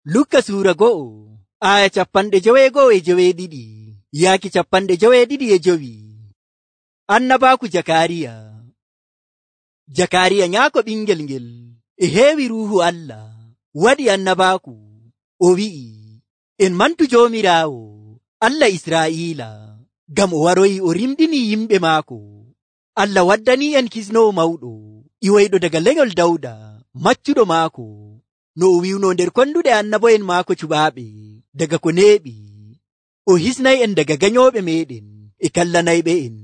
Lukka suura 1:52 yaaki 52. Annabaaku Jakariya nyaako ɓingel ngel e heewi ruuhu Allah waɗi annabaaku. O wi'i, en mantu Joomiraawo Allah Israa'iila, ngam o waroyi o rimɗini yimɓe maako. Allah waddani en kisnowo mawɗo iwoyɗo daga lenyol Dawda, maccuɗo maako, no o wi'uno nder konduɗe annabo'en maako cuɓaaɓe daga ko neeɓi. O hisnay en daga ganyooɓe meeɗen e kallanayɓe en.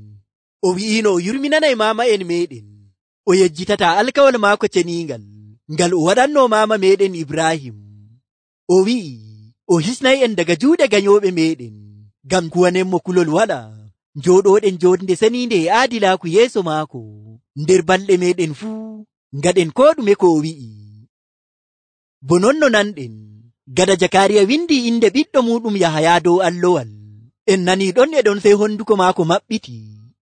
O wi'ino o yurminanay maama'en meeɗen. O yejjitata alkawal maako ceniingal ngal o waɗanno maama meeɗen Ibrahim. O wi'i o hisnay en daga juuɗe ganyooɓe meeɗen, ngam kuwanenmo kulol waɗa njooɗoɗen joonde seniinde e aadilaaku yeeso maako nder balɗe meeɗen fuu, ngaɗen ko ɗume ko o wi'i. Bo non no nanɗen, gada Jakariya windi inde ɓiɗɗo muɗum Yahaya dow allowal, en nani ɗon e ɗon sey honduko maako maɓɓiti,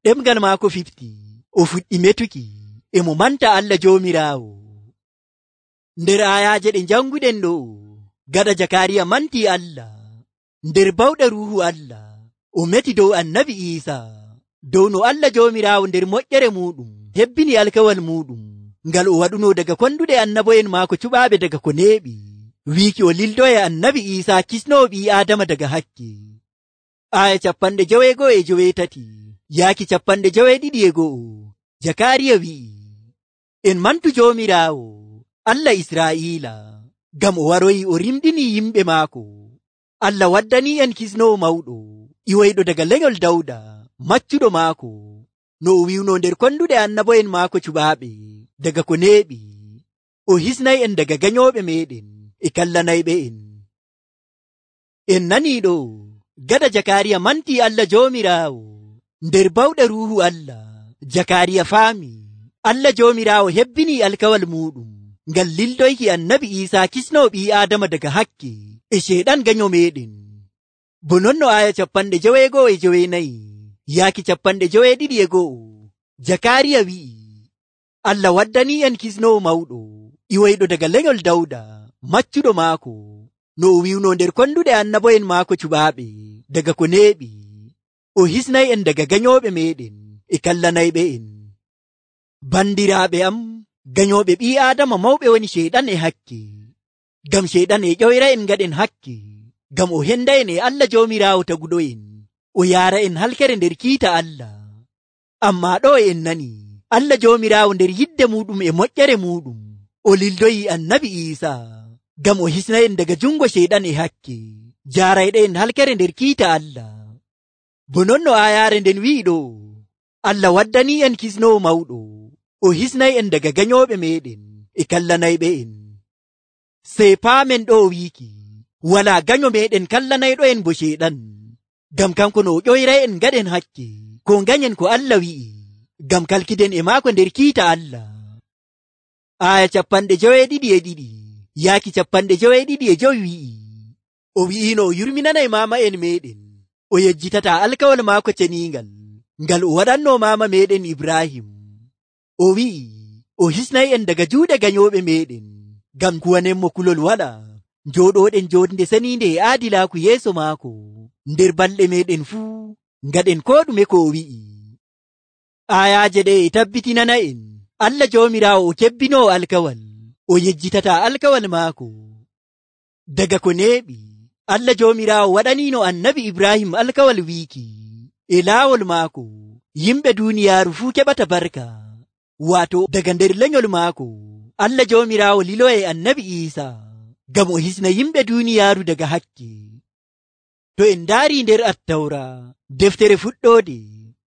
ɗemgal maako fifti, o fuɗɗi metuki e mo manta Allah Joomiraawo. Nder ayaaje ɗe janguɗen ɗo, gada Jakariya manti Allah, nder bawɗe ruuhu Allah, o meti dow annabi Iisaa, dow no Allah Joomiraawo nder moƴƴere muɗum hebbini alkawal muɗum ngal o waɗuno daga konduɗe annabo'en maako cuɓaaɓe daga ko neeɓi, wiiki o lildoye annabi Iisaa kisnowo ɓii Aadama daga hakke. Aya 53 yaaki 52. Jakariya wi'i, en mantu Joomiraawo Allah Israa'iila, ngam o waroyi o rimɗini yimɓe maako. Allah waddani en kisnowo mawɗo iwoyɗo daga lenyol Dawda, maccuɗo maako, no o wi'uno nder konduɗe annabo'en maako cuɓaaɓe daga ko neeɓi. O hisnay en daga ganyooɓe meeɗen e kallanayɓe en. En nanii ɗo, gada Jakariya manti Allah Joomiraawo nder bawɗe ruuhu Allah, Jakariya faami Allah Joomiraawo hebbini alkawal muɗum ngal lildoyki annabi Iisaa kisnowo ɓii Aadama daga hakke e ceeɗan ganyo meeɗen. Bo non no aya 54 yaaki 52. Jakariya wi'i, Allah waddani en kisnowo mawɗo iwoyɗo daga lenyol Dawda, maccuɗo maako, no o wi'uno nder konduɗe annabo'en maako cuɓaaɓe daga ko neeɓi. O hisnay en daga ganyooɓe meeɗen e kallanayɓe en. Bandiraaɓe am, ganyooɓe ɓii Aadama mawɓe woni ceeɗan e hakke. Ngam ceeɗan e ƴoyra en ngaɗen hakke, ngam o henda en e Allah Joomiraawo taguɗo'en, o yaara en halkere nder kiita Allah. Ammaa ɗo en nani Allah Joomiraawo nder yidde muɗum e moƴƴere muɗum o lildoyi annabi Iisaa, ngam o hisna en daga jungo ceeɗan e hakke, jaarayɗe en halkere nder kiita Allah. Bo non no ayaare nden wi'i ɗo, Allah waddani en kisnowo mawɗo, o hisnay en daga ganyooɓe meeɗen e kallanayɓe en. Sey paamen ɗo wiiki, walaa ganyo meeɗen kallanayɗo en bo ceeɗan, ngam kanko no o ƴoyray en ngaɗen hakke, ko ganyen ko Allah wi'i, ngam kalkiden e maako nder kiita Allah. Aya 52 yaaki 52 wi'i, o wi'ino o yurminanay maama en meeɗen, o yejjitata alkawal maako ceniingal ngal o waɗanno maama meeɗen Ibrahim. O wi'i o hisnay en daga juuɗe ganyooɓe meeɗen, ngam kuwanenmo kulol waɗa njooɗoɗen joonde seniinde e aadilaaku yeeso maako nder balɗe meeɗen fuu, ngaɗen ko ɗume ko o wi'i. Ayaaje ɗe e tabbitinana en Allah Joomiraawo o kebbinoo alkawal, o yejjitata alkawal maako. Daga ko neeɓi, Allah Joomiraawo waɗaniino annabi Ibrahim alkawal wiiki, e laawol maako yimɓe duuniyaaru fuu keɓata barka. Waato daga nder lenyol maako Allah Joomiraawo liloye annabi Iisaa, ngam o hisna yimɓe duuniyaaru daga hakke. To en ndaari nder Attawra, deftere fuɗɗoode,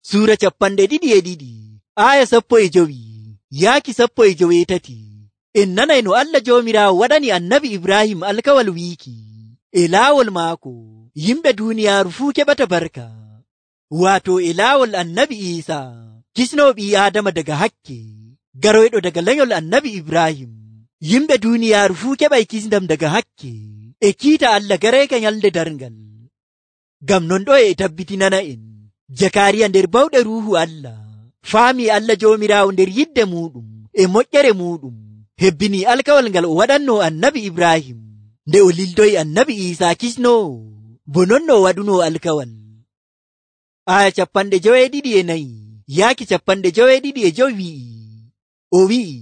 suura 22 aya 15 yaaki 18, en nanay no Allah Joomiraawo waɗani annabi Ibrahim alkawal wiiki, e laawol maako yimɓe duuniyaaru fuu keɓata barka. Waato e laawol annabi Iisaa, kisnowo ɓii Aadama daga hakke, garoyɗo daga lenyol annabi Ibrahim, yimɓe duuniyaaru fuu keɓay kisndam daga hakke e kiita Allah garayka nyalde darngal. Ngam non ɗo e tabbitinana en, Jakariya nder bawɗe ruuhu Allah faami Allah Joomiraawo nder yidde muɗum e moƴƴere muɗum hebbini alkawal ngal o waɗanno annabi Ibrahim, nde o lildoyi annabi Iisaa kisnoowo bo non no o waɗunoo alkawal. Aya 54 yaaki 55 wi'i, o wi'i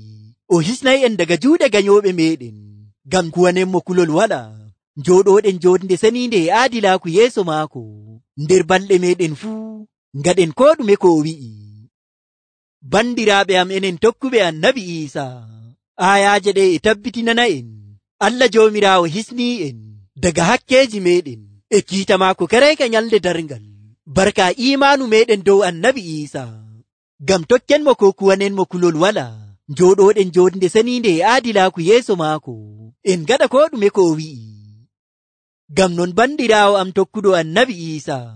o hisnay'en daga juuɗe ganyooɓe meeɗen ngam kuwanenmo kulol wala, njooɗooɗen joonde seniinde e aadilaaku yeeso maako nder balɗe meeɗen fuu, ngaɗen koo ɗume ko o wi'i. Bandiraaɓe am enen tokkuɓe annabi Iisaa, aayaaje ɗe e tabbitinana'en Allah Joomiraawo hisnii'en daga hakkeeji meeɗen e kiita maako kareyka nyalde darngal barka iimaanu meeɗen dow annabi Iisaa, ngam tokkenmo ko kuwanenmo kulol wala, njooɗooɗen joonde seniinde e aadilaaku yeeso maako en ngaɗa koo ɗume ko o wi'i. Ngam non bandiraawo am tokkuɗo annabi Iisaa,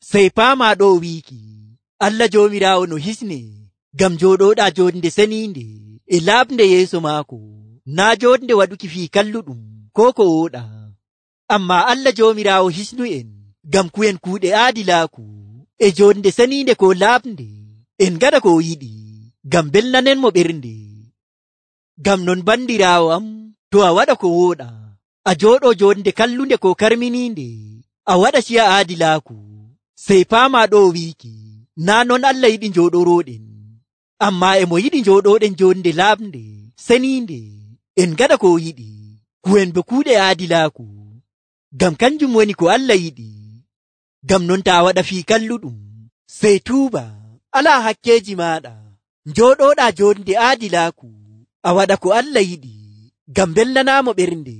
sey paamaa ɗo wiiki Allah Joomiraawo no hisne ngam njooɗooɗaa joonde seniinde e laaɓnde yeeso maako, naa joonde waɗuki fii kalluɗum koo ko wooɗaa. Ammaa Allah Joomiraawo hisnu'en ngam ku'en kuuɗe aadilaaku e joonde seniinde ko laaɓnde en ngaɗa ko o yiɗi, ngam belnanenmo ɓernde. Ngam non bandiraawo am, to a waɗa ko wooɗaa, a jooɗoo joonde kallunde ko karminiinde, a waɗa ciya aadilaaku, sey paamaa ɗo wiiki naa non Allah yiɗi njooɗorooɗen, ammaa emo yiɗi njooɗooɗen joonde laaɓnde seniinde en ngaɗa ko o yiɗi, ku'en bo kuuɗe aadilaaku, ngam kanjum woni ko Allah yiɗi. Ngam non taa waɗa fii kalluɗum, sey tuuba, alaa hakkeeji maaɗa, njooɗooɗaa joonde aadilaaku, a waɗa ko Allah yiɗi, ngam belnanaamo ɓernde.